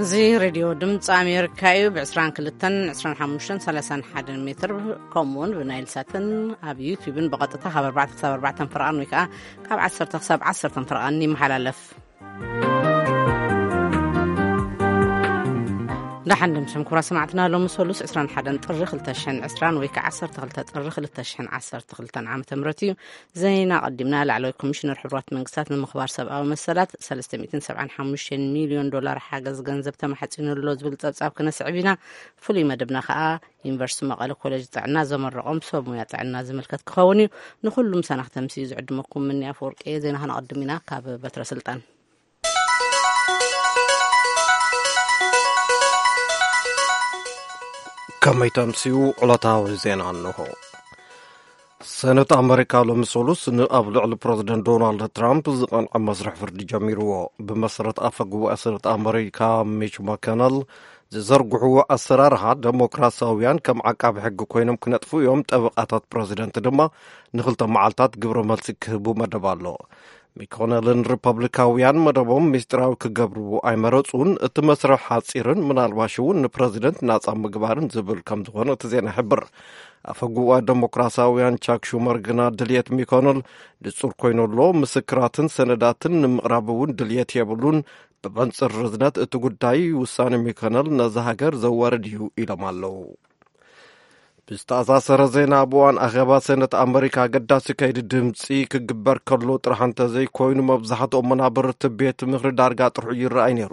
እዚ ሬድዮ ድምፂ ኣሜሪካ እዩ። ብ22፣ 25፣ 31 ሜትር፣ ከምኡውን ብናይል ሳትን ኣብ ዩቲዩብን ብቐጥታ ካብ ኣርባዕተ ክሳብ ኣርባዕተ ፍርቓን ወይ ከዓ ካብ ዓሰርተ ክሳብ ዓሰርተ ፍርቓን ይመሓላለፍ። ደሓን ድምፅም ኩራ ሰማዕትና፣ ሎሚ ሰሉስ 21 ጥሪ 2020 ወይ ከዓ 12 ጥሪ 2012 ዓመተ ምህረት እዩ። ዜና ቀዲምና። ላዕለዋይ ኮሚሽነር ሕቡራት መንግስታት ንምኽባር ሰብኣዊ መሰላት 375 ሚልዮን ዶላር ሓገዝ ገንዘብ ተማሕፂኑ ኣሎ ዝብል ፀብፃብ ክነስዕብ ኢና። ፍሉይ መደብና ከዓ ዩኒቨርሲቲ መቐለ ኮሌጅ ጥዕና ዘመረቖም ሰብ ሙያ ጥዕና ዝምልከት ክኸውን እዩ። ንኹሉም ሰናኽተምሲ ዝዕድመኩም ምኒ ኣፈወርቂ። ዜና ከነቐድም ኢና ካብ በትረ ስልጣን። ከመይ ተምስዩ? ዕለታዊ ዜና እንሆ። ሰነት ኣመሪካ ሎሚ ሰሉስ ንኣብ ልዕሊ ፕረዚደንት ዶናልድ ትራምፕ ዝቐንዐ መስርሕ ፍርዲ ጀሚርዎ። ብመሰረት ኣፈ ጉባኤ ሰነት ኣመሪካ ሚች ማኮነል ዝዘርግሕዎ ኣሰራርሓ፣ ደሞክራሲያውያን ከም ዓቃቢ ሕጊ ኮይኖም ክነጥፉ እዮም፣ ጠበቓታት ፕረዚደንት ድማ ንክልተ መዓልታት ግብረ መልሲ ክህቡ መደብ ኣሎ። ሚኮነልን ሪፐብሊካውያን መደቦም ምስጢራዊ ክገብርዎ ኣይመረጹን። እቲ መስርሕ ሓጺርን ምናልባሽ እውን ንፕረዚደንት ናጻ ምግባርን ዝብል ከም ዝኾነ እቲ ዜና ይሕብር። ኣፈ ጉባኤ ደሞክራሲያውያን ቻክ ሹመር ግና ድልየት ሚኮነል ንጹር ኮይኑ ኣሎ። ምስክራትን ሰነዳትን ንምቕራብ እውን ድልየት የብሉን። ብመንጽር ርዝነት እቲ ጉዳይ ውሳኔ ሚኮነል ነዛ ሃገር ዘዋርድ እዩ ኢሎም ኣለዉ። ብዝተኣሳሰረ ዜና፣ ኣብ እዋን ኣኼባ ሰነት ኣመሪካ ኣገዳሲ ከይዲ ድምፂ ክግበር ከሎ ጥራሕ እንተዘይኮይኑ፣ መብዛሕትኦም መናበርቲ ቤት ምኽሪ ዳርጋ ጥርሑ ይረኣይ ነይሩ።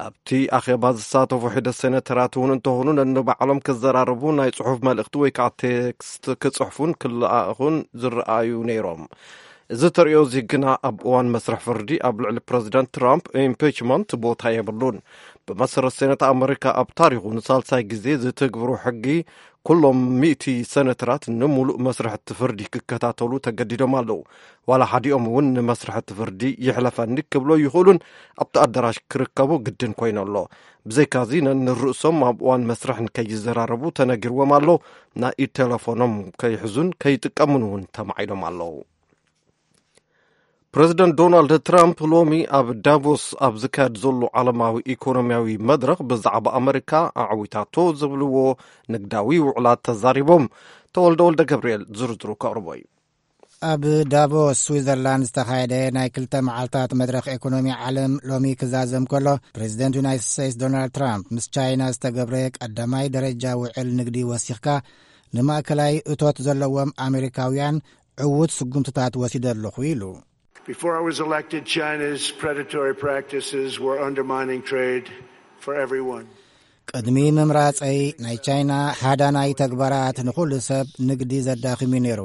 ኣብቲ ኣኼባ ዝሳተፉ ሒደት ሴኔተራት እውን እንተኾኑ፣ ነንባዕሎም ክዘራረቡ ናይ ጽሑፍ መልእኽቲ ወይ ከዓ ቴክስት ክጽሕፉን ክለኣኹን ዝረኣዩ ነይሮም። እዚ ተርእዮ እዚ ግና ኣብ እዋን መስርሕ ፍርዲ ኣብ ልዕሊ ፕረዚደንት ትራምፕ ኢምፒችመንት ቦታ የብሉን። ብመሰረት ሴኔት ኣመሪካ ኣብ ታሪኹ ንሳልሳይ ግዜ ዝትግብሩ ሕጊ፣ ኩሎም ሚእቲ ሴኔተራት ንምሉእ መስርሕ እቲ ፍርዲ ክከታተሉ ተገዲዶም ኣለዉ። ዋላ ሓዲኦም እውን ንመስርሕ እቲ ፍርዲ ይሕለፈኒ ክብሎ ይኽእሉን ኣብቲ ኣዳራሽ ክርከቡ ግድን ኮይኑ ኣሎ። ብዘይካዚ ነንርእሶም ኣብ እዋን መስርሕ ንከይዘራረቡ ተነጊርዎም ኣሎ። ናይ ኢድ ቴሌፎኖም ከይሕዙን ከይጥቀሙን እውን ተማዒዶም ኣለዉ። ፕረዚደንት ዶናልድ ትራምፕ ሎሚ ኣብ ዳቮስ ኣብ ዝካየድ ዘሎ ዓለማዊ ኢኮኖሚያዊ መድረኽ ብዛዕባ ኣመሪካ ኣዕዊታቶ ዝብልዎ ንግዳዊ ውዕላት ተዛሪቦም። ተወልደ ወልደ ገብርኤል ዝርዝሩ ከቕርቦ እዩ። ኣብ ዳቮስ ስዊዘርላንድ ዝተኻየደ ናይ ክልተ መዓልታት መድረኽ ኢኮኖሚ ዓለም ሎሚ ክዛዘም ከሎ፣ ፕረዚደንት ዩናይትድ ስቴትስ ዶናልድ ትራምፕ ምስ ቻይና ዝተገብረ ቀዳማይ ደረጃ ውዕል ንግዲ ወሲኽካ ንማእከላይ እቶት ዘለዎም ኣሜሪካውያን ዕዉት ስጉምትታት ወሲደ ኣለኹ ኢሉ። Before I was elected, China's predatory practices were undermining trade for everyone. ቅድሚ ምምራጸይ ናይ ቻይና ሃዳናይ ተግባራት ንኹሉ ሰብ ንግዲ ዘዳኽም እዩ ነይሩ።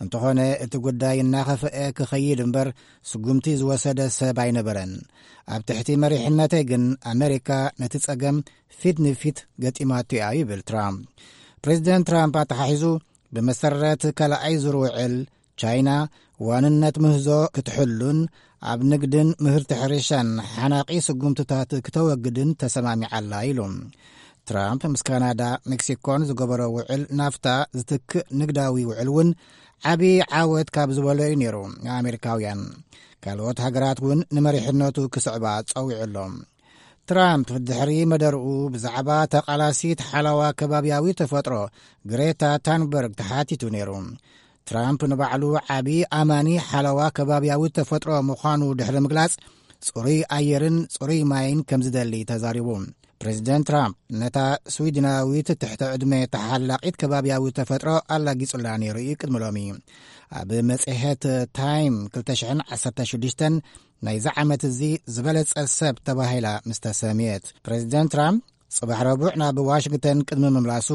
እንተኾነ እቲ ጉዳይ እናኸፍአ ክኸይድ እምበር ስጉምቲ ዝወሰደ ሰብ ኣይነበረን። ኣብ ትሕቲ መሪሕነተይ ግን ኣመሪካ ነቲ ጸገም ፊት ንፊት ገጢማቶ እያ ይብል ትራምፕ። ፕሬዚደንት ትራምፕ ኣተሓሒዙ ብመሰረት ካልኣይ ዙር ውዕል ቻይና ዋንነት ምህዞ ክትሕሉን ኣብ ንግድን ምህርቲ ሕርሻን ሓናቒ ስጉምትታት ክተወግድን ተሰማሚዓላ ኢሉ። ትራምፕ ምስ ካናዳ፣ ሜክሲኮን ዝገበሮ ውዕል ናፍታ ዝትክእ ንግዳዊ ውዕል እውን ዓቢ ዓወት ካብ ዝበሎ እዩ ነይሩ። ኣሜሪካውያን ካልኦት ሃገራት እውን ንመሪሕነቱ ክስዕባ ጸዊዑ ኣሎ። ትራምፕ ድሕሪ መደርኡ ብዛዕባ ተቓላሲት ሓለዋ ከባብያዊ ተፈጥሮ ግሬታ ታንበርግ ተሓቲቱ ነይሩ። ትራምፕ ንባዕሉ ዓቢ ኣማኒ ሓለዋ ከባብያዊ ተፈጥሮ ምዃኑ ድሕሪ ምግላጽ፣ ጽሩይ ኣየርን ጽሩይ ማይን ከም ዝደሊ ተዛሪቡ። ፕሬዚደንት ትራምፕ ነታ ስዊድናዊት ትሕተ ዕድመ ተሓላቒት ከባብያዊ ተፈጥሮ ኣላጊጹላ ነይሩ እዩ ቅድሚ ሎሚ። ኣብ መጽሔት ታይም 2016 ናይዚ ዓመት እዚ ዝበለጸ ሰብ ተባሂላ ምስ ተሰምየት፣ ፕሬዚደንት ትራምፕ ጽባሕ ረቡዕ ናብ ዋሽንግተን ቅድሚ ምምላሱ፣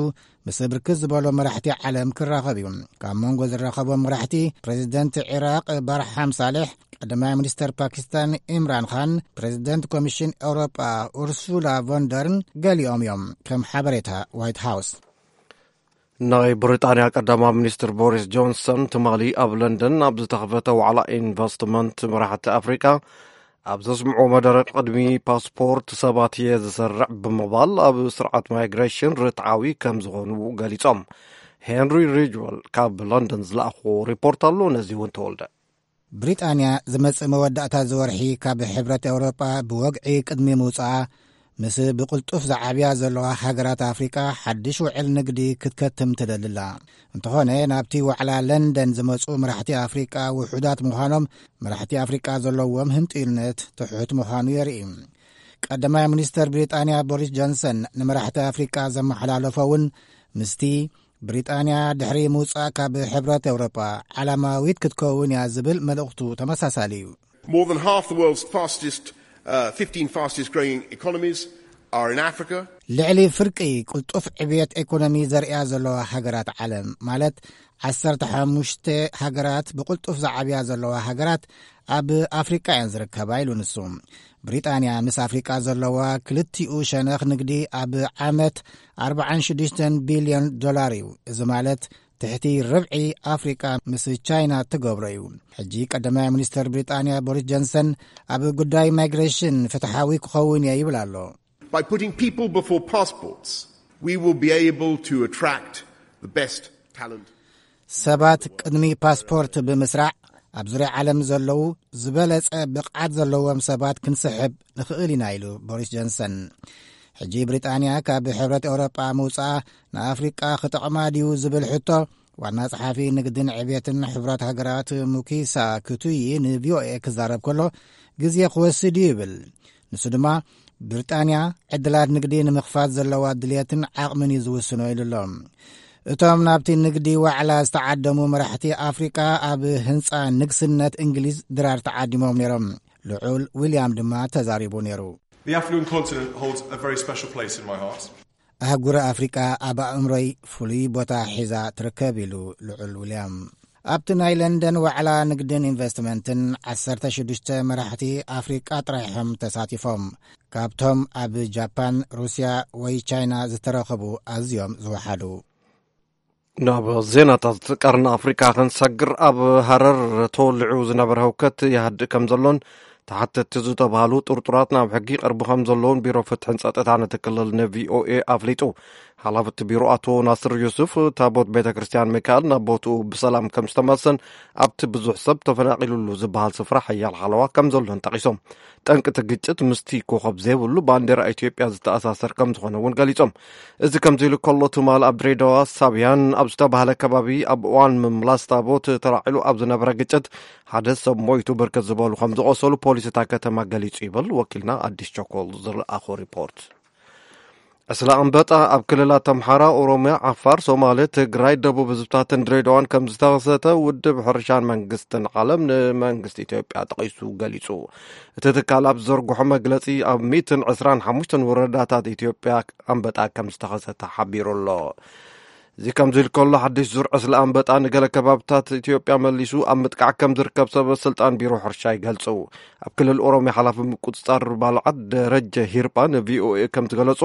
ምስ ብርክት ዝበሎ መራሕቲ ዓለም ክራኸብ እዩ። ካብ መንጎ ዝራኸቦም መራሕቲ፣ ፕሬዚደንት ዒራቕ ባርሓም ሳሌሕ፣ ቀዳማይ ሚኒስተር ፓኪስታን ኢምራን ኻን፣ ፕሬዚደንት ኮሚሽን ኤውሮጳ ኡርሱላ ቮንደርን ገሊኦም እዮም። ከም ሓበሬታ ዋይት ሃውስ። ናይ ብሪጣንያ ቀዳማይ ሚኒስትር ቦሪስ ጆንሰን ትማሊ ኣብ ለንደን ኣብ ዝተኸፈተ ዋዕላ ኢንቨስትመንት መራሕቲ ኣፍሪካ ኣብ ዘስምዖ መደረ፣ ቅድሚ ፓስፖርት ሰባት እየ ዝሰርዕ ብምባል ኣብ ስርዓት ማይግሬሽን ርትዓዊ ከም ዝኾኑ ገሊጾም። ሄንሪ ሪጅወል ካብ ለንደን ዝለኣኽዎ ሪፖርት ኣሎ። ነዚ እውን ተወልደ። ብሪጣንያ ዝመጽእ መወዳእታ ዝወርሒ ካብ ሕብረት ኤውሮጳ ብወግዒ ቅድሚ ምውጻኣ፣ ምስ ብቕልጡፍ ዝዓብያ ዘለዋ ሃገራት ኣፍሪቃ ሓድሽ ውዕል ንግዲ ክትከትም ትደሊ ኣላ። እንተኾነ፣ ናብቲ ዋዕላ ለንደን ዝመጹ መራሕቲ ኣፍሪቃ ውሑዳት ምዃኖም፣ መራሕቲ ኣፍሪቃ ዘለዎም ህንጥዩነት ትሑት ምዃኑ የርኢ። ቀዳማይ ሚኒስተር ብሪጣንያ ቦሪስ ጆንሰን ንመራሕቲ ኣፍሪቃ ዘመሓላለፎ እውን ምስቲ ብሪጣንያ ድሕሪ ምውጻእ ካብ ሕብረት ኤውሮጳ ዓላማዊት ክትከውን እያ ዝብል መልእኽቱ ተመሳሳሊ እዩ። More than half the world's fastest, uh, fifteen fastest growing economies are in Africa. ልዕሊ ፍርቂ ቅልጡፍ ዕብየት ኤኮኖሚ ዘርእያ ዘለዋ ሃገራት ዓለም፣ ማለት ዓሰርተ ሓሙሽተ ሃገራት ብቕልጡፍ ዝዓብያ ዘለዋ ሃገራት ኣብ ኣፍሪቃ እየን ዝርከባ ኢሉ ንሱ። ብሪጣንያ ምስ ኣፍሪቃ ዘለዋ ክልቲኡ ሸነኽ ንግዲ ኣብ ዓመት ኣርባዓን ሽዱሽተን ቢልዮን ዶላር እዩ። እዚ ማለት ትሕቲ ርብዒ ኣፍሪቃ ምስ ቻይና ትገብሮ እዩ። ሕጂ ቀዳማይ ሚኒስተር ብሪጣንያ ቦሪስ ጆንሰን ኣብ ጉዳይ ማይግሬሽን ፍትሓዊ ክኸውን እየ ይብል ኣሎ። By putting people before passports, we will be able to attract the best talent. ሰባት ቅድሚ ፓስፖርት ብምስራዕ ኣብ ዙርያ ዓለም ዘለዉ ዝበለጸ ብቕዓት ዘለዎም ሰባት ክንስሕብ ንኽእል ኢና ኢሉ ቦሪስ ጆንሰን። ሕጂ ብሪጣንያ ካብ ሕብረት ኤውሮጳ ምውጻኣ ንኣፍሪቃ ክጠቕማ ድዩ ዝብል ሕቶ ዋና ጸሓፊ ንግድን ዕብየትን ሕቡራት ሃገራት ሙኪሳ ክቱይ ንቪኦኤ ክዛረብ ከሎ ግዜ ክወስድ እዩ ይብል። ንሱ ድማ ብሪጣንያ ዕድላት ንግዲ ንምኽፋት ዘለዋ ድልየትን ዓቕምን እዩ ዝውስኖ ኢሉ ኣሎ። እቶም ናብቲ ንግዲ ዋዕላ ዝተዓደሙ መራሕቲ ኣፍሪቃ ኣብ ህንጻ ንግስነት እንግሊዝ ድራር ተዓዲሞም ነይሮም። ልዑል ዊልያም ድማ ተዛሪቡ ነይሩ። The African continent holds a very special place in my heart. ኣህጉር ኣፍሪቃ ኣብ ኣእምሮይ ፍሉይ ቦታ ሒዛ ትርከብ ኢሉ ልዑል ዊልያም። ኣብቲ ናይ ለንደን ዋዕላ ንግድን ኢንቨስትመንትን ዓሰርተ ሽዱሽተ መራሕቲ ኣፍሪቃ ጥራይ እዮም ተሳቲፎም። ካብቶም ኣብ ጃፓን፣ ሩስያ ወይ ቻይና ዝተረኸቡ ኣዝዮም ዝወሓዱ። ናብ ዜናታት ቀርኒ ኣፍሪካ ክንሰግር፣ ኣብ ሃረር ተወሊዑ ዝነበረ ህውከት ይሃድእ ከም ዘሎን ተሓተቲ ዝተባሃሉ ጥርጡራት ናብ ሕጊ ይቐርቡ ከም ዘለውን ቢሮ ፍትሕን ጸጥታን እቲ ክልል ንቪኦኤ ኣፍሊጡ። ሓላፊ እቲ ቢሮ ኣቶ ናስር ዩሱፍ፣ ታቦት ቤተ ክርስቲያን ሚካኤል ናብ ቦትኡ ብሰላም ከም ዝተመልሰን ኣብቲ ብዙሕ ሰብ ተፈናቒሉሉ ዝበሃል ስፍራ ሓያል ሓለዋ ከም ዘሎን ጠቒሶም። ጠንቂ እቲ ግጭት ምስቲ ኮኸብ ዘይብሉ ባንዴራ ኢትዮጵያ ዝተኣሳሰር ከም ዝኾነ እውን ገሊጾም። እዚ ከምዚ ኢሉ ከሎ፣ ትማሊ ኣብ ድሬዳዋ ሳብያን ኣብ ዝተባህለ ከባቢ ኣብ እዋን ምምላስ ታቦት ተላዒሉ ኣብ ዝነበረ ግጭት ሓደ ሰብ ሞይቱ፣ ብርክት ዝበሉ ከም ዝቖሰሉ ፖሊስ እታ ከተማ ገሊጹ ይብል ወኪልና ኣዲስ ቸኮል ዝለኣኾ ሪፖርት። ዕስለ ኣንበጣ ኣብ ክልላት ኣምሓራ፣ ኦሮሚያ፣ ዓፋር፣ ሶማሌ፣ ትግራይ፣ ደቡብ ህዝብታትን ድሬዳዋን ከም ዝተኸሰተ ውድብ ሕርሻን መንግስትን ዓለም ንመንግስቲ ኢትዮጵያ ጠቒሱ ገሊጹ። እቲ ትካል ኣብ ዝዘርግሖ መግለጺ፣ ኣብ ሚእትን ዕስራን ሓሙሽተን ወረዳታት ኢትዮጵያ ኣንበጣ ከም ዝተኸሰተ ሓቢሩ ኣሎ። እዚ ከምዚ ኢሉ ከሎ፣ ሓድሽ ዙር ዕስለ ኣንበጣ ንገለ ከባብታት ኢትዮጵያ መሊሱ ኣብ ምጥቃዕ ከም ዝርከብ ሰበ ስልጣን ቢሮ ሕርሻ ይገልጹ። ኣብ ክልል ኦሮሚያ ሓላፊ ምቁጽጻር ባልዓት ደረጀ ሂርጳ ንቪኦኤ ከም ዝገለጹ፣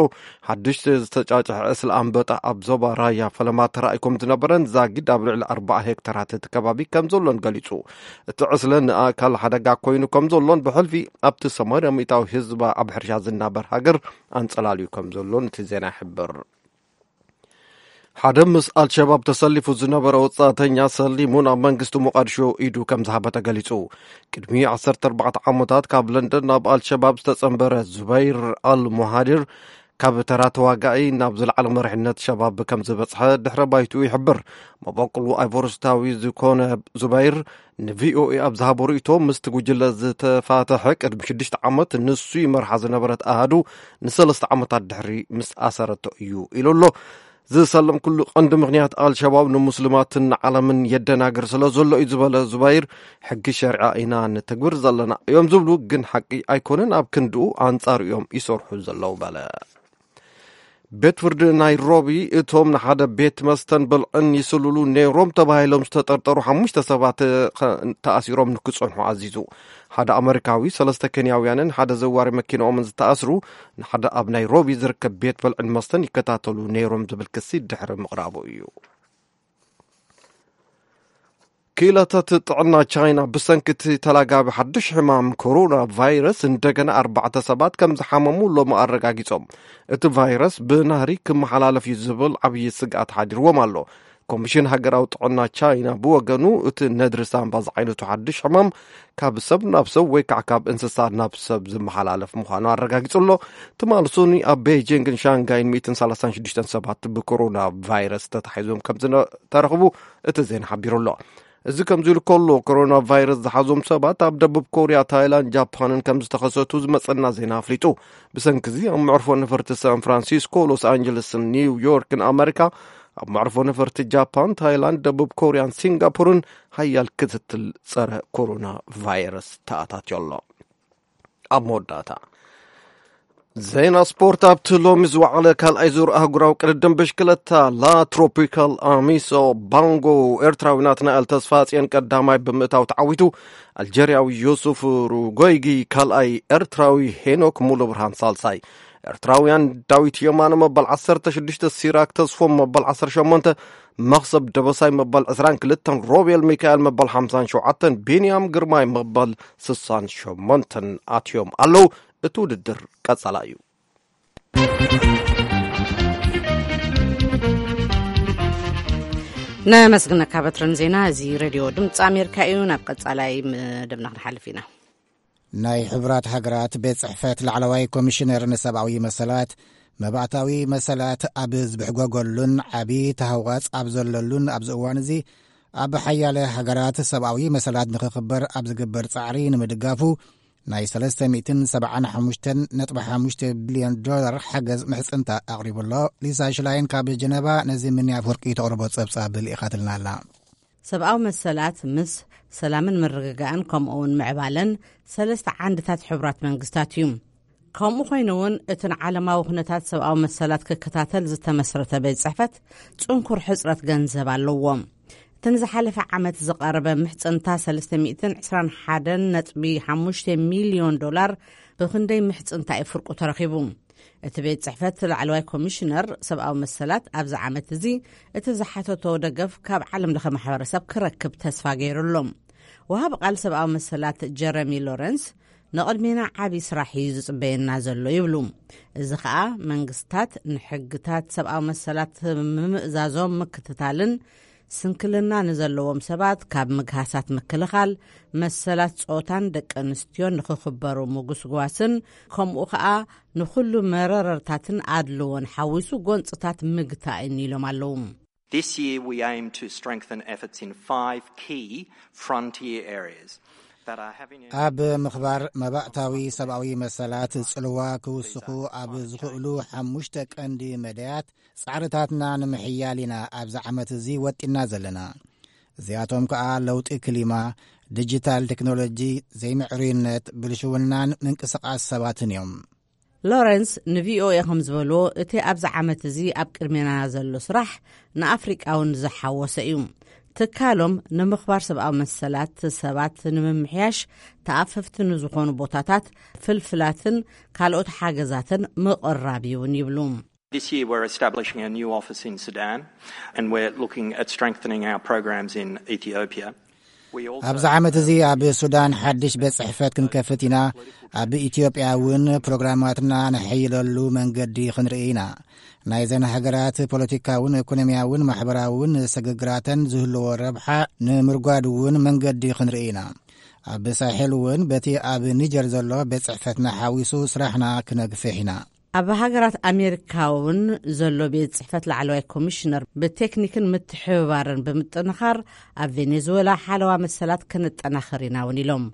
ሓድሽ ዝተጫጭሐ ዕስለ ኣንበጣ ኣብ ዞባ ራያ ፈለማ ተራእዩ ከም ዝነበረን ዛጊድ ኣብ ልዕሊ ኣርባዓ ሄክተራት እቲ ከባቢ ከም ዘሎን ገሊጹ። እቲ ዕስለ ንኣካል ሓደጋ ኮይኑ ከም ዘሎን ብሕልፊ ኣብቲ ሰማንያ ሚእታዊ ህዝባ ኣብ ሕርሻ ዝናበር ሃገር ኣንጸላልዩ ከም ዘሎን እቲ ዜና ይሕብር። ሓደ ምስ ኣልሸባብ ተሰሊፉ ዝነበረ ወጻእተኛ ሰሊሙ ናብ መንግስቲ ሞቃዲሾ ኢዱ ከም ዝሃበ ተገሊጹ። ቅድሚ ዓሰርተ ኣርባዕተ ዓመታት ካብ ለንደን ናብ ኣልሸባብ ዝተጸንበረ ዙበይር ኣል ሙሃዲር፣ ካብ ተራ ተዋጋኢ ናብ ዝለዓለ መሪሕነት ሸባብ ከም ዝበጽሐ ድሕረ ባይትኡ ይሕብር። መበቆሉ ኣይቮርስታዊ ዝኾነ ዙበይር ንቪኦኤ ኣብ ዝሃቦ ርእይቶ፣ ምስቲ ጉጅለ ዝተፋተሐ ቅድሚ ሽዱሽተ ዓመት ንሱ ይመርሓ ዝነበረት ኣሃዱ ንሰለስተ ዓመታት ድሕሪ ምስ ኣሰረቶ እዩ ኢሉ ኣሎ። ዝሰለምኩሉ ቀንዲ ምኽንያት ኣልሸባብ ንሙስሊማትን ንዓለምን የደናግር ስለ ዘሎ እዩ ዝበለ ዙባይር፣ ሕጊ ሸሪዓ ኢና ንተግብር ዘለና እዮም ዝብሉ፣ ግን ሓቂ ኣይኮነን፣ ኣብ ክንድኡ ኣንጻር እዮም ይሰርሑ ዘለዉ በለ። ቤት ፍርዲ ናይሮቢ እቶም ንሓደ ቤት መስተን ብልዕን ይስልሉ ነይሮም ተባሂሎም ዝተጠርጠሩ ሓሙሽተ ሰባት ተኣሲሮም ንክጸንሑ ኣዚዙ። ሓደ ኣመሪካዊ፣ ሰለስተ ኬንያውያንን ሓደ ዘዋሪ መኪናኦምን ዝተኣስሩ ንሓደ ኣብ ናይሮቢ ዝርከብ ቤት ብልዕን መስተን ይከታተሉ ነይሮም ዝብል ክሲ ድሕሪ ምቕራቡ እዩ። ክኢላታት ጥዕና ቻይና ብሰንኪ እቲ ተላጋቢ ሓድሽ ሕማም ኮሮና ቫይረስ እንደገና ኣርባዕተ ሰባት ከም ዝሓመሙ ሎሚ ኣረጋጊጾም። እቲ ቫይረስ ብናህሪ ክመሓላለፍ እዩ ዝብል ዓብዪ ስግኣት ሓዲርዎም ኣሎ። ኮሚሽን ሃገራዊ ጥዕና ቻይና ብወገኑ፣ እቲ ነድሪ ሳምባ ዝዓይነቱ ሓድሽ ሕማም ካብ ሰብ ናብ ሰብ ወይ ከዓ ካብ እንስሳ ናብ ሰብ ዝመሓላለፍ ምዃኑ ኣረጋጊጹ ኣሎ። ትማሊ ሶኒ ኣብ ቤጂንግን ሻንጋይን ሚእትን ሰላሳን ሽዱሽተን ሰባት ብኮሮና ቫይረስ ተታሒዞም ከም ዝተረኽቡ እቲ ዜና ሓቢሩ ኣሎ። እዚ ከምዚ ኢሉ ከሎ፣ ኮሮና ቫይረስ ዝሓዞም ሰባት ኣብ ደቡብ ኮርያ፣ ታይላንድ፣ ጃፓንን ከም ዝተኸሰቱ ዝመጸና ዜና ኣፍሊጡ። ብሰንኪ እዚ ኣብ መዕርፎ ነፈርቲ ሳን ፍራንሲስኮ፣ ሎስ ኣንጀለስን ኒው ዮርክን ኣመሪካ፣ ኣብ መዕርፎ ነፈርቲ ጃፓን፣ ታይላንድ፣ ደቡብ ኮርያን ሲንጋፖርን ሓያል ክትትል ጸረ ኮሮና ቫይረስ ተኣታትዮ ኣሎ። ኣብ መወዳእታ ዜና ስፖርት። ኣብቲ ሎሚ ዝወዓለ ካልኣይ ዙር ኣህጉራዊ ቅድድም ብሽክለታ ላ ትሮፒካል ኣሚሶ ባንጎ፣ ኤርትራዊ ናትናኤል ተስፋጽዮን ቀዳማይ ብምእታው ተዓዊቱ። ኣልጀርያዊ ዮሱፍ ሩጎይጊ ካልኣይ፣ ኤርትራዊ ሄኖክ ሙሉ ብርሃን ሳልሳይ። ኤርትራውያን ዳዊት የማነ መበል ዓሰርተ ሽዱሽተ፣ ሲራክ ተስፎም መበል ዓሰርተ ሸሞንተ፣ መኽሰብ ደበሳይ መበል ዕስራን ክልተን፣ ሮቤል ሚካኤል መበል ሓምሳን ሸውዓተን፣ ቢንያም ግርማይ መበል ስሳን ሸሞንተን ኣትዮም ኣለዉ። እቲ ውድድር ቀጸላ እዩ። ነመስግነካ በትርን ዜና። እዚ ሬድዮ ድምፂ ኣሜሪካ እዩ። ናብ ቀጻላይ መደብና ክንሓልፍ ኢና። ናይ ሕቡራት ሃገራት ቤት ጽሕፈት ላዕለዋይ ኮሚሽነር ንሰብኣዊ መሰላት፣ መባእታዊ መሰላት ኣብ ዝብሕጎገሉን ዓቢ ተሃዋጽ ኣብ ዘለሉን ኣብዚ እዋን እዚ፣ ኣብ ሓያለ ሃገራት ሰብኣዊ መሰላት ንኽኽበር ኣብ ዝግበር ጻዕሪ ንምድጋፉ ናይ ሰለስተ ሚእትን ሰብዓን ሓሙሽተን ነጥቢ ሓሙሽተ ቢልዮን ዶላር ሓገዝ ምሕጽንታ ኣቕሪቡ ኣሎ። ሊሳ ሽላይን ካብ ጀነቫ ነዚ ምንያ ኣፍወርቂ ተቕርቦ ጸብጻብ ልኢኻትልና ኣላ። ሰብኣዊ መሰላት ምስ ሰላምን ምርግጋእን ከምኡውን ምዕባለን ሰለስተ ዓንድታት ሕቡራት መንግስታት እዩ። ከምኡ ኮይኑ እውን እቲ ንዓለማዊ ኩነታት ሰብኣዊ መሰላት ክከታተል ዝተመስረተ ቤት ጽሕፈት ጽንኩር ሕጽረት ገንዘብ ኣለዎ። እቲ ንዝሓለፈ ዓመት ዝቐረበ ምሕጽንታ ሰለስተ ሚእትን ዕስራን ሓደን ነጥቢ ሓሙሽተ ሚልዮን ዶላር ብኽንደይ ምሕጽንታ እዩ ፍርቁ ተረኺቡ? እቲ ቤት ጽሕፈት ላዕለዋይ ኮሚሽነር ሰብኣዊ መሰላት ኣብዚ ዓመት እዚ እቲ ዝሓተቶ ደገፍ ካብ ዓለም ለኸ ማሕበረሰብ ክረክብ ተስፋ ገይሩ ኣሎ። ወሃቢ ቃል ሰብኣዊ መሰላት ጀረሚ ሎረንስ፣ ንቕድሜና ዓቢ ስራሕ እዩ ዝጽበየና ዘሎ ይብሉ። እዚ ኸኣ መንግስታት ንሕግታት ሰብኣዊ መሰላት ምምእዛዞም ምክትታልን ስንክልና ንዘለዎም ሰባት ካብ ምግሃሳት ምክልኻል፣ መሰላት ጾታን ደቂ ኣንስትዮን ንኽኽበሩ ምጉስጓስን፣ ከምኡ ኸኣ ንኹሉ መረረርታትን ኣድልዎን ሓዊሱ ጎንጽታት ምግታእን ኢሎም ኣለዉ። This year we aim to strengthen efforts in five key frontier areas that are having ኣብ ምኽባር መባእታዊ ሰብኣዊ መሰላት ጽልዋ ክውስኹ ኣብ ዝኽእሉ ሓሙሽተ ቀንዲ መዳያት ጻዕርታትና ንምሕያል ኢና ኣብዚ ዓመት እዚ ወጢና ዘለና። እዚኣቶም ከኣ ለውጢ ክሊማ፣ ዲጂታል ቴክኖሎጂ፣ ዘይምዕሩይነት፣ ብልሽውናን ምንቅስቓስ ሰባትን እዮም። ሎረንስ ንቪኦኤ ከም ዝበልዎ፣ እቲ ኣብዚ ዓመት እዚ ኣብ ቅድሜና ዘሎ ስራሕ ንኣፍሪቃ እውን ዝሓወሰ እዩ። ትካሎም ንምኽባር ሰብኣዊ መሰላት ሰባት ንምምሕያሽ ተኣፈፍቲ ንዝኾኑ ቦታታት፣ ፍልፍላትን ካልኦት ሓገዛትን ምቕራብ እውን ይብሉ። This year we're establishing a new office in Sudan and we're looking at strengthening our programs in Ethiopia. ኣብዚ ዓመት እዚ ኣብ ሱዳን ሓድሽ ቤት ጽሕፈት ክንከፍት ኢና። ኣብ ኢትዮጵያ እውን ፕሮግራማትና ንሕይለሉ መንገዲ ክንርኢ ኢና። ናይዘን ሃገራት ፖለቲካውን ኢኮኖሚያውን ማሕበራውን ስግግራተን ዝህልዎ ረብሓ ንምርጓድ እውን መንገዲ ክንርኢ ኢና። ኣብ ሳሕል እውን በቲ ኣብ ኒጀር ዘሎ ቤት ጽሕፈትና ሓዊሱ ስራሕና ክነግፍሕ ኢና። ኣብ ሃገራት ኣሜሪካ እውን ዘሎ ቤት ጽሕፈት ላዕለዋይ ኮሚሽነር ብቴክኒክን ምትሕብባርን ብምጥንኻር ኣብ ቬኔዙዌላ ሓለዋ መሰላት ከነጠናኽር ኢና እውን ኢሎም።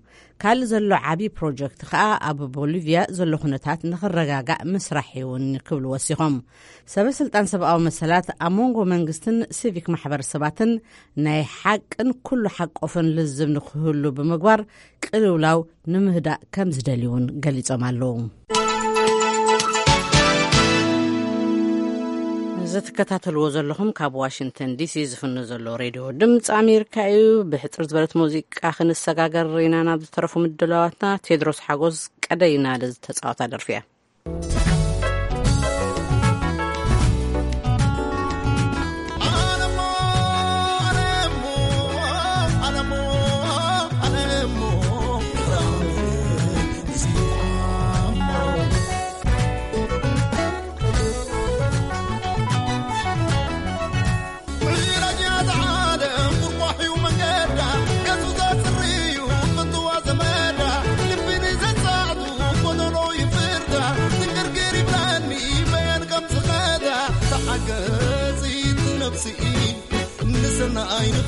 ካልእ ዘሎ ዓቢ ፕሮጀክት ከኣ ኣብ ቦሊቪያ ዘሎ ኩነታት ንኽረጋጋእ ምስራሕ እዩ እውን ክብሉ ወሲኾም። ሰበ ስልጣን ሰብኣዊ መሰላት ኣብ መንጎ መንግስትን ሲቪክ ማሕበረሰባትን ናይ ሓቅን ኩሉ ሓቆፍን ልዝብ ንክህሉ ብምግባር ቅልውላው ንምህዳእ ከም ዝደልዩ እውን ገሊጾም ኣለዉ። እዚ ትከታተልዎ ዘለኹም ካብ ዋሽንግተን ዲሲ ዝፍኖ ዘሎ ሬድዮ ድምፂ ኣሜሪካ እዩ። ብሕፅር ዝበለት ሙዚቃ ክንሰጋገር ኢና ናብ ዝተረፉ ምድላዋትና። ቴድሮስ ሓጎስ ቀደይ ናደ ዝተፃወታ ደርፊ እያ።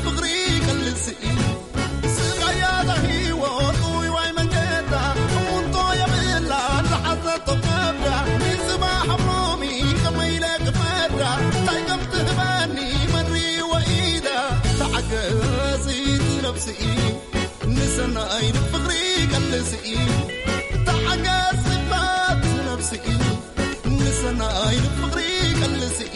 ፍቕሪ ይቀልስ እዩ። ስቓያ እዛ ህይወት ውይዋይ መንገዳ፣ እሙንቶ የብላ ዝሓዘቶ ከብዳ። ንጽባሕ ኣብ ሎሚ ከመይ ኢለ ክፈዳ? እንታይ ከም ትህበኒ መን ሪእዎ ኢዳ? ተዓገሲ ነብሲ እዩ። ንሰናይ ፍቕሪ ይቀልስ እዩ። ተዓገስ ጽባት ነብሲ እዩ። ንሰናይ ፍቕሪ ይቀልስ እዩ።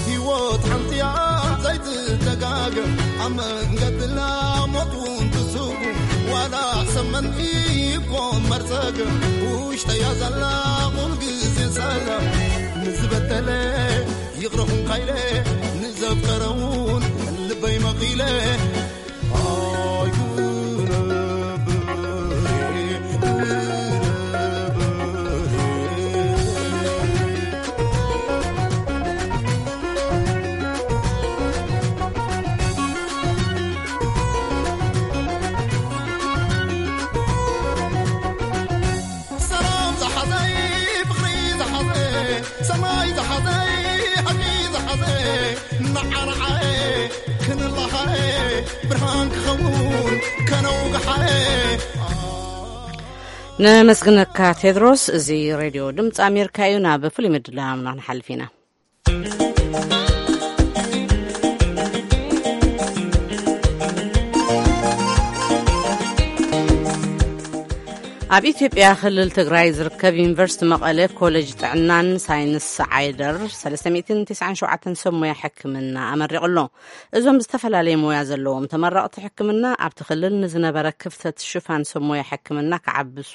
ህይወት ሓንቲ እያ ዘይትደጋገም፣ ኣብ መንገድና ሞት እውን ትስጉም። ዋላ ሰመን ይኮን መርዘገም፣ ውሽጠያ ዘላ ኩል ግዜ ሰላም። ንዝበደለ ይቕረ ኹንካ ኢለ፣ ንዘፍቀረ እውን ልበይ መቒለ። ሰላም ዝሓዘይ፣ ፍቕሪ ዝሓዘ፣ ሰማይ ዝሓዘ፣ ሓቂ ዝሓዘ፣ ንዓንዓየ ክንላሃየ፣ ብርሃን ክኸውን ከነውግሓየ። ነመስግነካ ቴድሮስ። እዚ ሬድዮ ድምፂ ኣሜሪካ እዩ። ናብ ፍሉይ ምድላውና ንሓልፍ ኢና። ኣብ ኢትዮጵያ ክልል ትግራይ ዝርከብ ዩኒቨርሲቲ መቐለ ኮሌጅ ጥዕናን ሳይንስ ዓይደር ሰለስተ ሚእትን ተስዓን ሸውዓተን ሰብ ሞያ ሕክምና ኣመሪቑ ኣሎ። እዞም ዝተፈላለየ ሞያ ዘለዎም ተመረቕቲ ሕክምና ኣብቲ ክልል ንዝነበረ ክፍተት ሽፋን ሰብ ሞያ ሕክምና ክዓብሱ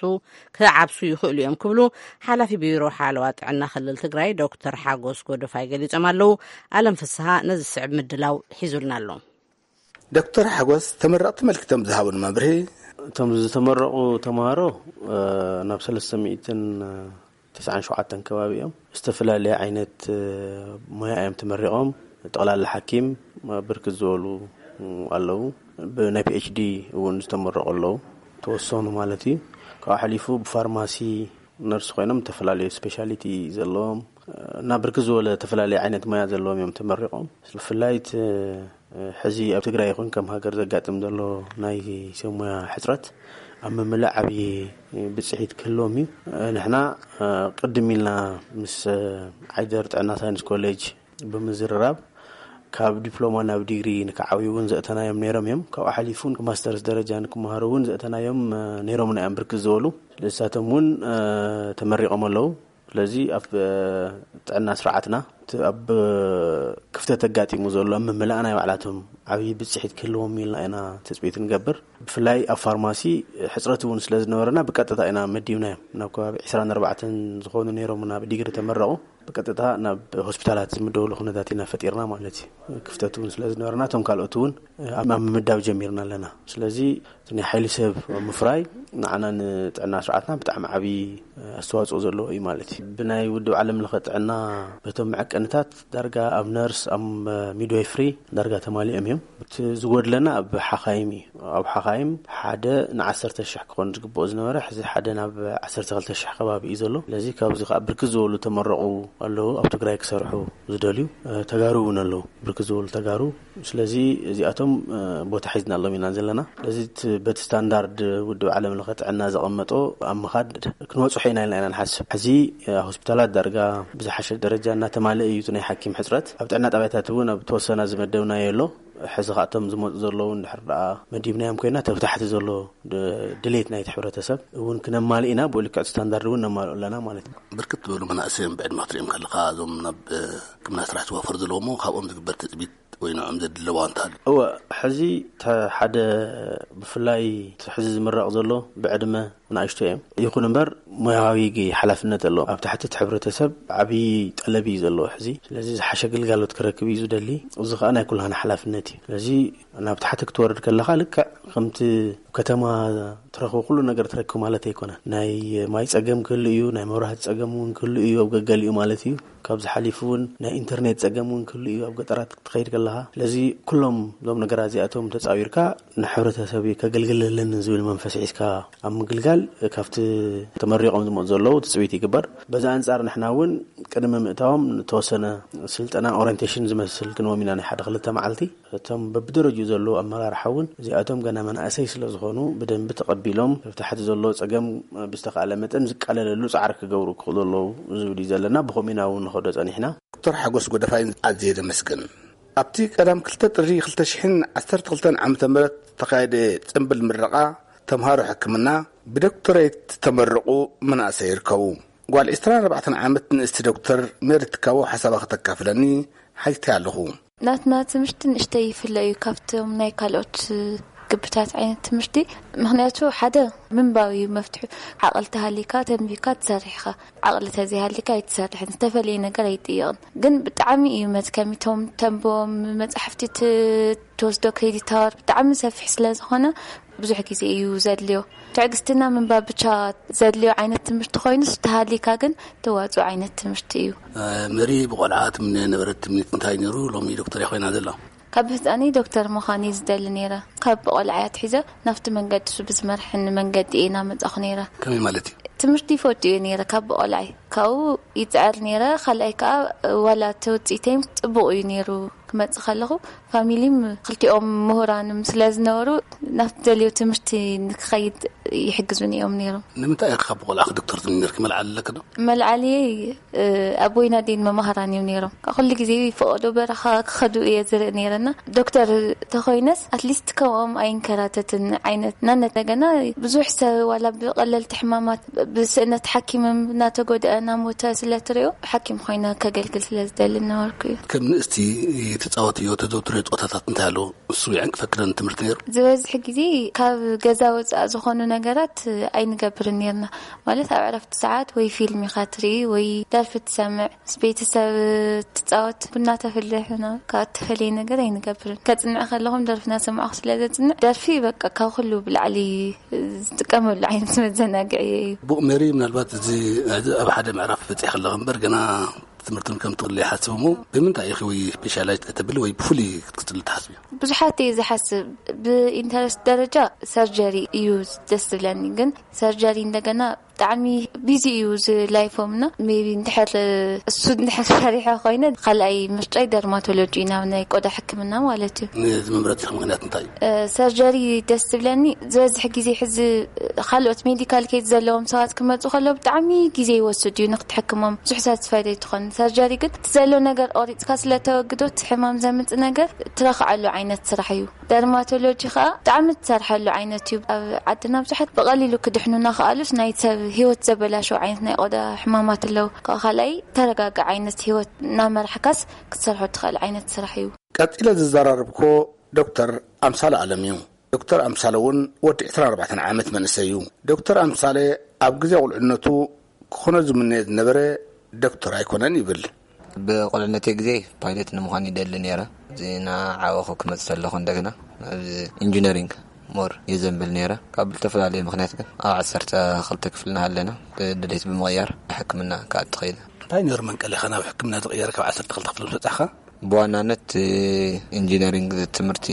ክዓብሱ ይኽእሉ እዮም ክብሉ ሓላፊ ቢሮ ሓለዋ ጥዕና ክልል ትግራይ ዶክተር ሓጎስ ጎደፋይ ገሊጾም ኣለዉ። ኣለም ፍስሃ ነዚ ዝስዕብ ምድላው ሒዙልና ኣሎ። ዶክተር ሓጎስ ተመረቕቲ መልክቶም ዝሃቡን መብርሂ፣ እቶም ዝተመረቑ ተምሃሮ ናብ ሰለስተ ሚእትን ተስዓን ሸውዓተን ከባቢ እዮም። ዝተፈላለየ ዓይነት ሞያ እዮም ተመሪቖም። ጠቕላላ ሓኪም ብርክት ዝበሉ ኣለዉ። ብናይ ፒኤችዲ እውን ዝተመረቑ ኣለዉ፣ ተወሰኑ ማለት እዩ። ካብኡ ሓሊፉ ብፋርማሲ ነርስ ኮይኖም ዝተፈላለዩ ስፔሻሊቲ ዘለዎም እና ብርክት ዝበለ ዝተፈላለየ ዓይነት ሞያ ዘለዎም እዮም ተመሪቖም። ብፍላይ እቲ ሕዚ ኣብ ትግራይ ይኹን ከም ሃገር ዘጋጥም ዘሎ ናይ ሰብ ሞያ ሕፅረት ኣብ ምምላእ ዓብዪ ብፅሒት ክህልዎም እዩ። ንሕና ቅድም ኢልና ምስ ዓይደር ጥዕና ሳይንስ ኮሌጅ ብምዝርራብ ካብ ዲፕሎማ ናብ ዲግሪ ንክዓብዩ እውን ዘእተናዮም ነይሮም እዮም። ካብኡ ሓሊፉ እውን ማስተርስ ደረጃ ንክመሃሩ እውን ዘእተናዮም ነይሮምና እዮም ብርክት ዝበሉ። ስለሳቶም እውን ተመሪቖም ኣለዉ። ስለዚ ኣብ ጥዕና ስርዓትና እቲ ኣብ ክፍተት ኣጋጢሙ ዘሎ ኣብ ምምላእ ናይ ባዕላቶም ዓብዪ ብፅሒት ክህልዎም ኢልና ኢና ትፅቢት ንገብር። ብፍላይ ኣብ ፋርማሲ ሕፅረት እውን ስለ ዝነበረና ብቀጥታ ኢና መዲብናዮም። ናብ ከባቢ ዕስራን ኣርባዕተን ዝኾኑ ነይሮም ናብ ዲግሪ ተመረቑ። ብቀጥታ ናብ ሆስፒታላት ዝምደብሉ ኩነታት ኢና ፈጢርና ማለት እዩ። ክፍተት እውን ስለ ዝነበረና እቶም ካልኦት እውን ኣብ ኣብ ምምዳብ ጀሚርና ኣለና። ስለዚ እቲ ናይ ሓይሊ ሰብ ምፍራይ ንዓና ንጥዕና ስርዓትና ብጣዕሚ ዓብዪ ኣስተዋፅኦ ዘለዎ እዩ ማለት እዩ። ብናይ ውድብ ዓለም ለኸ ጥዕና በቶም መዐቀንታት ዳርጋ ኣብ ነርስ ኣብ ሚድዋይፍሪ ዳርጋ ተማሊኦም እዮም። እቲ ዝጎድለና ኣብ ሓኻይም እዩ። ኣብ ሓኻይም ሓደ ንዓሰርተ ሽሕ ክኾን ዝግብኦ ዝነበረ ሕዚ ሓደ ናብ ዓሰርተ ክልተ ሽሕ ከባቢ እዩ ዘሎ። ስለዚ ካብዚ ከዓ ብርክት ዝበሉ ተመረቑ ኣለዉ ኣብ ትግራይ ክሰርሑ ዝደልዩ ተጋሩ እውን ኣለዉ። ብርክት ዝበሉ ተጋሩ። ስለዚ እዚኣቶም ቦታ ሒዝናሎም ኢና ዘለና። ስለዚ በቲ ስታንዳርድ ውድብ ዓለም ለኸ ጥዕና ዘቐመጦ ኣብ ምኻድ ክንበፅሖ ኢና ኢልና ኢና ንሓስብ። ሕዚ ሆስፒታላት ዳርጋ ብዝሓሸ ደረጃ እናተማልአ እዩ እቲ ናይ ሓኪም ሕፅረት። ኣብ ጥዕና ጣብያታት እውን ኣብ ተወሰና ዝመደብናዮ ኣሎ። ሕዚ ከኣቶም ዝመፁ ዘለዉ እንድሕር ደኣ መዲብናዮም ኮይና ተብታሕቲ ዘሎ ድሌት ናይቲ ሕብረተሰብ እውን ክነማልእ ኢና። ብኡ ልክዕ ስታንዳርድ እውን ነማልኦ ኣለና ማለት እዩ። ብርክት ዝበሉ መናእሰዮም ብዕድመ ክትሪኦም ከለካ እዞም ናብ ሕክምና ስራሕ ዝዋፈሩ ዘለዎሞ ካብኦም ዝግበር ትፅቢት ወይ ንዕኦም ዘድለዋ እንተሃሉ? እወ፣ ሕዚ ሓደ ብፍላይ ሕዚ ዝምረቕ ዘሎ ብዕድመ ንኣሽቶ እዮም። ይኹን እምበር ሞያዊ ሓላፍነት ኣለዎም። ኣብ ትሕቲ እቲ ሕብረተሰብ ዓብዪ ጠለብ እዩ ዘለዎ ሕዚ። ስለዚ ዝሓሸ ግልጋሎት ክረክብ እዩ ዝደሊ። እዚ ከዓ ናይ ኩላህና ሓላፍነት እዩ። ስለዚ ናብ ታሕቲ ክትወርድ ከለኻ ልክዕ ከምቲ ከተማ ትረኽቦ ኩሉ ነገር ትረክብ ማለት ኣይኮነን። ናይ ማይ ፀገም ክህሉ እዩ፣ ናይ መብራህቲ ፀገም እውን ክህሉ እዩ ኣብ ገገሊኡ ማለት እዩ። ካብዚ ሓሊፉ እውን ናይ ኢንተርኔት ፀገም እውን ክህሉ እዩ ኣብ ገጠራት ክትኸይድ ከለኻ። ስለዚ ኩሎም እዞም ነገራት እዚኣቶም ተፃዊርካ ንሕብረተሰብ ከገልግለለን ዝብል መንፈስ ሒዝካ ኣብ ምግልጋል ካብቲ ተመሪቖም ዝመፁ ዘለዉ ትፅቢት ይግበር። በዚ ኣንፃር ንሕና እውን ቅድሚ ምእታዎም ንተወሰነ ስልጠና ኦሪንቴሽን ዝመስል ክንዎም ኢና፣ ናይ ሓደ ክልተ መዓልቲ። እቶም በብደረጅኡ ዘለዉ ኣመራርሓ እውን እዚኣቶም ገና መናእሰይ ስለ ዝኾኑ ብደንቢ ተቐቢሎም ኣብ ታሕቲ ዘሎ ፀገም ብዝተኻእለ መጠን ዝቃለለሉ ፃዕሪ ክገብሩ ክኽእሉ ኣለዉ ዝብል እዩ ዘለና። ብኸምኡ ኢና እውን ንኸዶ ፀኒሕና። ዶክተር ሓጎስ ጎደፋይ ኣዝየ ዘመስግን። ኣብቲ ቀዳም ክልተ ጥሪ ክልተ ሽሕን ዓሰርተ ክልተን ዓመተ ምህረት ዝተኻየደ ጽምብል ምረቓ ተምሃሮ ሕክምና ብዶክተሬት ዝተመረቑ መናእሰይ ይርከቡ። ጓል ዕስራን ኣርባዕተን ዓመት ንእስቲ ዶክተር ሜሪ ትካቦ ሓሳባ ከተካፍለኒ ሓቲተ ኣለኹ። ናትና ትምህርቲ ንእሽተይ ይፍለ እዩ ካብቶም ናይ ካልኦት ግብታት ዓይነት ትምህርቲ። ምኽንያቱ ሓደ ምንባብ እዩ መፍትሑ። ዓቕሊ ተሃሊካ ተንቢብካ ትሰርሕ ኢኻ። ዓቕሊ ተዘይሃሊካ ኣይትሰርሕን። ዝተፈለየ ነገር ኣይጥየቕን። ግን ብጣዕሚ እዩ መድከሚ። እቶም ተንብቦም መጻሕፍቲ ት-፣ ትወስዶ ክሬዲት ኣወር ብጣዕሚ ሰፊሕ ስለ ዝኾነ ብዙሕ ግዜ እዩ ዘድልዮ። ትዕግስትና ምንባብ ብቻ ዘድልዮ ዓይነት ትምህርቲ ኮይኑስ ተሃሊካ ግን ተዋፅኦ ዓይነት ትምህርቲ እዩ። መሪ ብቆልዓ ትምነ ነበረት ትምኒት እንታይ ነይሩ? ሎሚ ዶክተር ኮይና ዘላ። ካብ ህፃነይ ዶክተር ምዃን እየ ዝደሊ ነይረ። ካብ ቆልዓ እያ ትሒዘ ናብቲ መንገዲ እሱ ብዝመርሕኒ መንገዲ እየ እናመፃኹ ነይረ። ከመይ ማለት እዩ? ትምህርቲ ይፈቱ እየ ነይረ ካብ ቆልዓይ። ካብኡ ይፅዕር ነይረ። ካልኣይ ከዓ ዋላ እቲ ውፅኢተይም ፅቡቕ እዩ ነይሩ። ክመፅእ ከለኹ ፋሚሊም ክልቲኦም ምሁራንም ስለ ዝነበሩ ናብቲ ደልዮ ትምህርቲ ንክኸይድ ይሕግዙኒ እዮም ነይሮም። ንምንታይ ኢኺ ካብ ቆልዓኺ ዶክተር ትምኒ ነርኪ? መልዓሊ ኣለኪ ዶ? መልዓሊ ኣቦይን ኣዴን መማህራን እዮም ነይሮም። ኩሉ ግዜ ፈቐዶ በረኻ ክኸዱ እየ ዝርኢ ነይረና። ዶክተር ተኾይነስ ኣትሊስት ከምኦም ኣይንከራተትን ዓይነት ናነት። እንደገና ብዙሕ ሰብ ዋላ ብቐለልቲ ሕማማት ብስእነት ሓኪምም እናተጎድአ እናሞተ ስለ ትሪኦ ሓኪም ኮይነ ከገልግል ስለ ዝደሊ እናበልኩ እዩ። ከም ንእስቲ ትጻወትዮ ተዘውትርዮ ጸወታታት እንታይ ኣለዉ? እሱ ይዕንቅፈክለን ትምህርቲ ነይሩ? ዝበዝሕ ግዜ ካብ ገዛ ወጻእ ዝኾኑ ነገራት ኣይንገብርን ነይርና። ማለት ኣብ ዕረፍቲ ሰዓት ወይ ፊልም ኢኻ ትርኢ ወይ ደርፊ ትሰምዕ፣ ምስ ቤተሰብ ትጻወት፣ ቡና ተፍልሕ፣ ና-፣ ካብ እተፈለየ ነገር ኣይንገብርን። ከጽንዕ ከለኹም ደርፊ እናሰማዕኹ ስለ ዘጽንዕ፣ ደርፊ በቃ ካብ ኩሉ ብላዕሊ ዝጥቀመሉ ዓይነት መዘናግዒ እዩ። ቡቕ ሜሪ፣ ምናልባት እዚ፣ እዚ ኣብ ሓደ ምዕራፍ በጺሕ ከለኹ እምበር ገና ትምህርትን ከም ትቕልይ ይሓስብ እሞ፣ ብምንታይ ኢኺ ወይ ስፔሻላይዝ ከተብል ወይ ብፍሉይ ክትቅጽል ትሓስቢ? ብዙሓት እየ ዝሓስብ። ብኢንተረስት ደረጃ ሰርጀሪ እዩ ደስ ዝብለኒ፣ ግን ሰርጀሪ እንደገና ብጣዕሚ ቢዚ እዩ እዚ ላይፎም እና ሜቢ እንድሕር እሱ እንድሕር ሰሪሐ ኮይነ ካልኣይ ምርጫይ ደርማቶሎጂ ናብ ናይ ቆዳ ሕክምና ማለት እዩ። ንዚ ምምረጽ ምኽንያት እንታይ እዩ? ሰርጀሪ ደስ ዝብለኒ ዝበዝሕ ግዜ ሕዚ ካልኦት ሜዲካል ኬዝ ዘለዎም ሰባት ክመፁ ከለዉ ብጣዕሚ ግዜ ይወስድ እዩ ንክትሕክሞም። ብዙሕ ሳትስፋይድ ኣይትኾን። ሰርጀሪ ግን እቲ ዘሎ ነገር ቆሪፅካ ስለተወግዶ እቲ ሕማም ዘምፅእ ነገር ትረኽዓሉ ዓይነት ስራሕ እዩ። ደርማቶሎጂ ከዓ ብጣዕሚ ትሰርሐሉ ዓይነት እዩ። ኣብ ዓድና ብዙሓት ብቐሊሉ ክድሕኑና ከኣሉስ ናይ ሰብ ህይወት ዘበላሸው ዓይነት ናይ ቆዳ ሕማማት ኣለዉ። ካብ ካልኣይ ተረጋጋ ዓይነት ህይወት እናመራሕካስ ክትሰርሖ ትኽእል ዓይነት ስራሕ እዩ። ቀጺለ ዝዘራረብኮ ዶክተር ኣምሳለ ኣለም እዩ። ዶክተር ኣምሳለ እውን ወዲ ዕስራን ኣርባዕተን ዓመት መንእሰይ እዩ። ዶክተር ኣምሳለ ኣብ ግዜ ቁልዕነቱ ክኾኖ ዝምነዮ ዝነበረ ዶክተር ኣይኮነን ይብል። ብቁልዕነተይ ግዜ ፓይለት ንምዃን ይደሊ ነይረ። እዚ እናዓበኹ ክመጽእ ከለኹ እንደገና ናብ ኢንጂነሪንግ ሞር የዘንብል ነይረ። ካብ ዝተፈላለዩ ምኽንያት ግን ኣብ ዓሰርተ ክልተ ክፍሊ እናሃለና ድሌት ብምቕያር ሕክምና ክኣቱ ኸይደ። እንታይ ነይሩ መንቀሊኻ ናብ ሕክምና ዝቕየር ካብ ዓሰርተ ክልተ ክፍሊ ምስ በጻሕኻ? ብዋናነት ኢንጂነሪንግ ትምህርቲ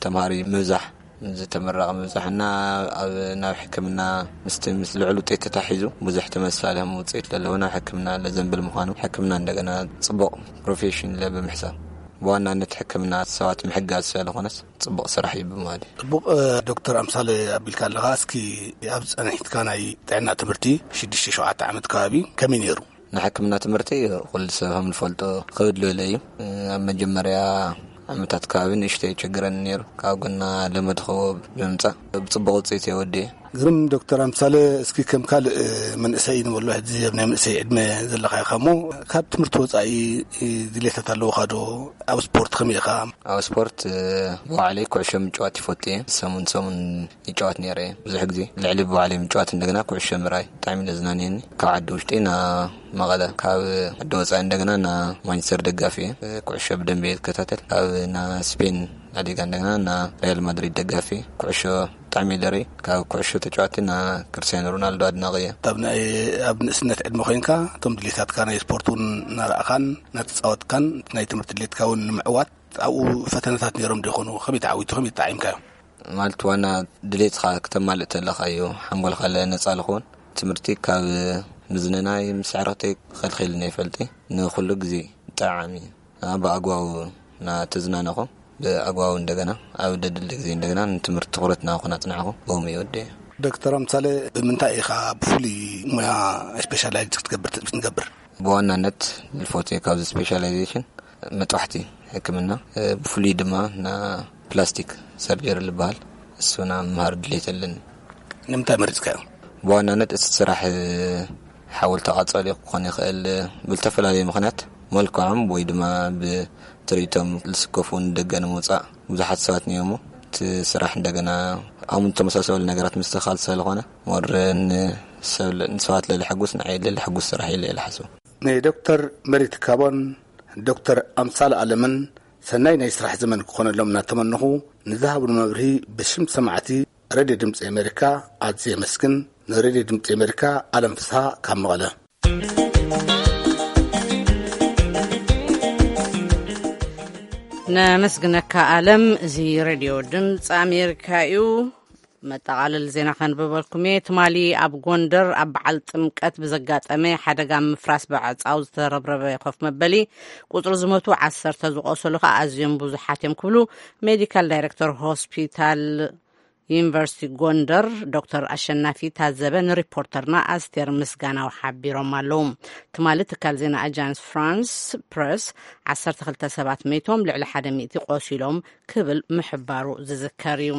ተምሃሪ ምብዛሕ ዝተመረቐ ምብዛሕና ኣብ ናብ ሕክምና ምስቲ ምስ ልዑል ውፅኢት ተታሒዙ ብዙሕ ተመሳሳሊ ውፅኢት ለለዎ ናብ ሕክምና ለዘንብል ምዃኑ ሕክምና እንደገና ፅቡቕ ፕሮፌሽን ኢለ ብምሕሳብ ብዋናነት ሕክምና ሰባት ምሕጋዝ ስለዝኾነስ ፅቡቕ ስራሕ እዩ ብምባል እዩ። ፅቡቕ። ዶክተር ኣምሳለ ኣቢልካ ኣለኻ። እስኪ ኣብ ፀኒሕትካ ናይ ጥዕና ትምህርቲ ሽዱሽተ ሸውዓተ ዓመት ከባቢ ከመይ ነይሩ? ንሕክምና ትምህርቲ ኩሉ ሰብ ከም ዝፈልጦ ክብድልብለ እዩ። ኣብ መጀመርያ ዓመታት ከባቢ ንእሽተይ ይቸግረኒ ነይሩ። ካብ ጎና ለመድኸዎ ብምምፃእ ብፅቡቕ ውፅኢት እየ ወዲኤ። ግርም። ዶክተር ኣምሳለ፣ እስኪ ከም ካልእ መንእሰይ ንበሎ፣ ሕዚ ኣብ ናይ መንእሰይ ዕድመ ዘለኻ ኢኻ እሞ፣ ካብ ትምህርቲ ወፃኢ ድሌታት ኣለውኻ ዶ? ኣብ ስፖርት ከመይ ኢኻ? ኣብ ስፖርት ብባዕለይ ኩዕሾ ምጭዋት ይፈቱ እየ። ሰሙን ሰሙን ይጫወት ነይረ እየ። ብዙሕ ግዜ ልዕሊ ብባዕለይ ምጭዋት እንደገና ኩዕሾ ምርኣይ ብጣዕሚ ለዝናንየኒ። ካብ ዓዲ ውሽጢ ና መቐለ፣ ካብ ዓዲ ወፃኢ እንደገና ና ማንቸስተር ደጋፊ እየ። ኩዕሾ ብደንብ እየ ዝከታተል። ካብ ና ስፔን ላሊጋ እንደገና ና ሪያል ማድሪድ ደጋፊ እየ። ኩዕሾ ብጣዕሚ እየ ደርኢ። ካብ ኩዕሾ ተጫዋቲ ና ክርስቲያኖ ሮናልዶ ኣድናቂ እየ። ኣብ ናይ፣ ኣብ ንእስነት ዕድመ ኮይንካ እቶም ድሌታትካ ናይ ስፖርት እውን እናረኣኻን እናተፃወትካን ናይ ትምህርቲ ድሌትካ እውን ንምዕዋት ኣብኡ ፈተነታት ነይሮም ዶ ይኾኑ? ከመይ ተዓዊቱ? ከመይ ተጣዒምካዮ? ማለት ዋና ድሌትኻ ክተማልእ ተለኻ እዩ ሓንጎልካ ነጻ ልኸውን። ትምህርቲ ካብ ምዝንናይ ምስ ዕረፍተይ ከልኺልኒ ይፈልጢ። ንኹሉ ግዜ ጠዓሚ ብኣግባቡ እናተዝናነኹ፣ ብኣግባቡ እንደገና ኣብ ደድሊ ግዜ እንደገና ንትምህርቲ ትኹረት እናኹን ኣጽናዕኹ። ብኦም ይወደ። ዶክተር ኣምሳለ፣ ብምንታይ ኢኻ ብፍሉይ ሞያ ስፔሻላይዝ ክትገብር ትጽቢት ንገብር? ብዋናነት ልፎት ካብዚ ስፔሻላይዜሽን መጥባሕቲ ሕክምና፣ ብፍሉይ ድማ ና ፕላስቲክ ሰርጀሪ ዝበሃል እሱና ምሃር ድሌት ኣለኒ። ንምንታይ መሪጽካዮ? ብዋናነት እቲ ስራሕ ሓወልቲ ቃጸሊ ክኾን ይኽእል፣ ብልተፈላለየ ምኽንያት መልክዖም ወይ ድማ ብትርኢቶም ዝስከፉ ንደገ ንምውጻእ ብዙሓት ሰባት እኒኦሞ። እቲ ስራሕ እንደገና ኣሙን ተመሳሰሉ ነገራት ምስትኻል ስለዝኾነ ሞር ንሰብ ንሰባት ለልሕጉስ ንዓይ ለልሕጉስ ስራሕ ኢለ እየ ዝሓስቦ። ንዶክተር መሪት ካቦን ዶክተር ኣምሳል ኣለምን ሰናይ ናይ ስራሕ ዘመን ክኾነሎም እናተመነኹ፣ ንዝሃብሉ መብርሂ ብሽም ሰማዕቲ ሬድዮ ድምፂ ኣሜሪካ ኣዝየ የመስግን። ንሬድዮ ድምፂ ኣሜሪካ ኣለም ፍስሃ ካብ መቐለ። ነመስግነካ ኣለም። እዚ ሬድዮ ድምፂ ኣሜሪካ እዩ። መጠቓለል ዜና ከንብበልኩም እየ። ትማሊ ኣብ ጎንደር ኣብ በዓል ጥምቀት ብዘጋጠመ ሓደጋ ምፍራስ ብዕፃው ዝተረብረበ ኮፍ መበሊ ቁፅሪ ዝሞቱ ዓሰርተ፣ ዝቆሰሉ ከዓ ኣዝዮም ብዙሓት እዮም ክብሉ ሜዲካል ዳይሬክተር ሆስፒታል ዩኒቨርሲቲ ጎንደር ዶክተር ኣሸናፊ ታዘበ ንሪፖርተርና ኣስቴር ምስጋናው ሓቢሮም ኣለዉ። ትማሊ ትካል ዜና ኣጃንስ ፍራንስ ፕረስ ዓሰርተ ክልተ ሰባት መይቶም፣ ልዕሊ ሓደ ሚእቲ ቆሲሎም ክብል ምሕባሩ ዝዝከር እዩ።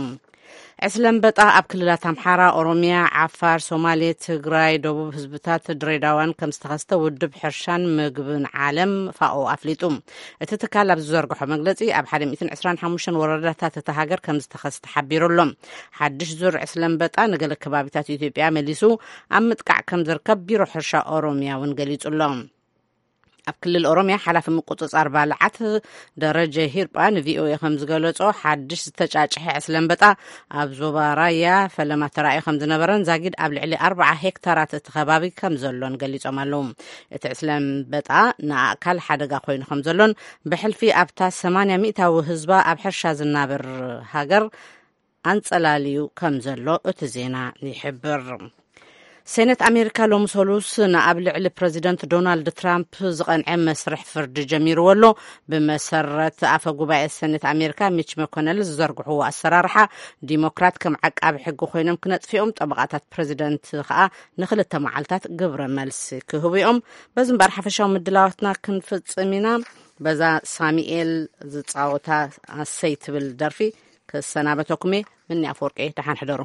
ዕስለ ኣንበጣ ኣብ ክልላት ኣምሓራ፣ ኦሮሚያ፣ ዓፋር፣ ሶማሌ፣ ትግራይ፣ ደቡብ ህዝብታት፣ ድሬዳዋን ከም ዝተኸስተ ውድብ ሕርሻን ምግብን ዓለም ፋኦ ኣፍሊጡ። እቲ ትካል ኣብ ዝዘርግሖ መግለፂ፣ ኣብ ሓደ ሚእትን ዕስራን ሓሙሽተን ወረዳታት እታ ሃገር ከም ዝተኸስተ ሓቢሩ ኣሎ። ሓድሽ ዙር ዕስለ ኣንበጣ ንገለ ከባቢታት ኢትዮጵያ መሊሱ ኣብ ምጥቃዕ ከም ዝርከብ ቢሮ ሕርሻ ኦሮሚያ እውን ገሊጹ ኣሎ። ኣብ ክልል ኦሮሚያ ሓላፊ ምቁጽጻር ባልዓት ደረጀ ሂርጳ ንቪኦኤ ከም ዝገለጾ፣ ሓድሽ ዝተጫጭሐ ዕስለ ኣንበጣ ኣብ ዞባ ራያ ፈለማ ተራእዩ ከም ዝነበረን ዛጊድ ኣብ ልዕሊ ኣርብዓ ሄክታራት እቲ ከባቢ ከም ዘሎን ገሊጾም ኣለዉ። እቲ ዕስለ ኣንበጣ ንኣእካል ሓደጋ ኮይኑ ከም ዘሎን ብሕልፊ ኣብታ ሰማንያ ሚእታዊ ህዝባ ኣብ ሕርሻ ዝናበር ሃገር ኣንጸላልዩ ከም ዘሎ እቲ ዜና ይሕብር። ሴኔት ኣሜሪካ ሎሚ ሰሉስ ንኣብ ልዕሊ ፕረዚደንት ዶናልድ ትራምፕ ዝቐንዐ መስርሕ ፍርዲ ጀሚርዎ ኣሎ። ብመሰረት ኣፈ ጉባኤ ሴኔት ኣሜሪካ ሚች መኮነል ዝዘርግሕዎ ኣሰራርሓ፣ ዲሞክራት ከም ዓቃቢ ሕጊ ኮይኖም ክነጥፍኦም፣ ጠበቓታት ፕረዚደንት ከኣ ንክልተ መዓልታት ግብረ መልሲ ክህቡ እዮም። በዚ እምበኣር ሓፈሻዊ ምድላዋትና ክንፍጽም ኢና። በዛ ሳሙኤል ዝጻወታ ኣሰይ ትብል ደርፊ ክሰናበተኩም እየ። ምኒ ኣፈወርቂ፣ ደሓን ሕደሩ።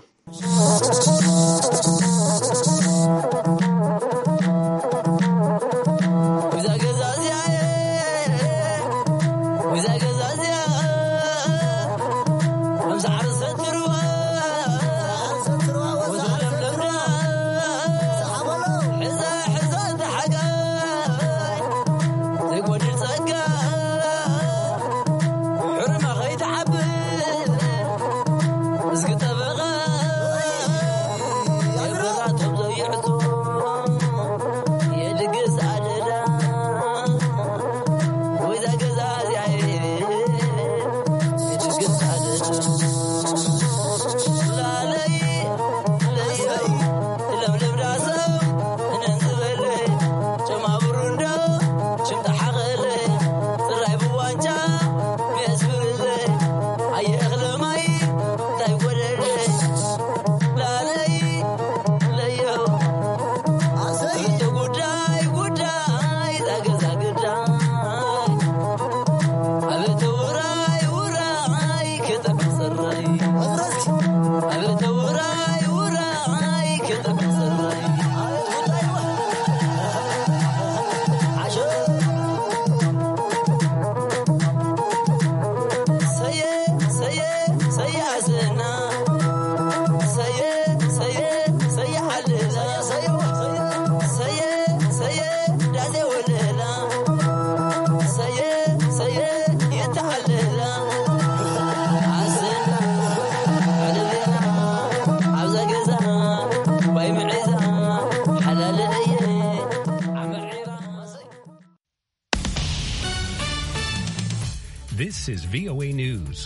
This is V O A News.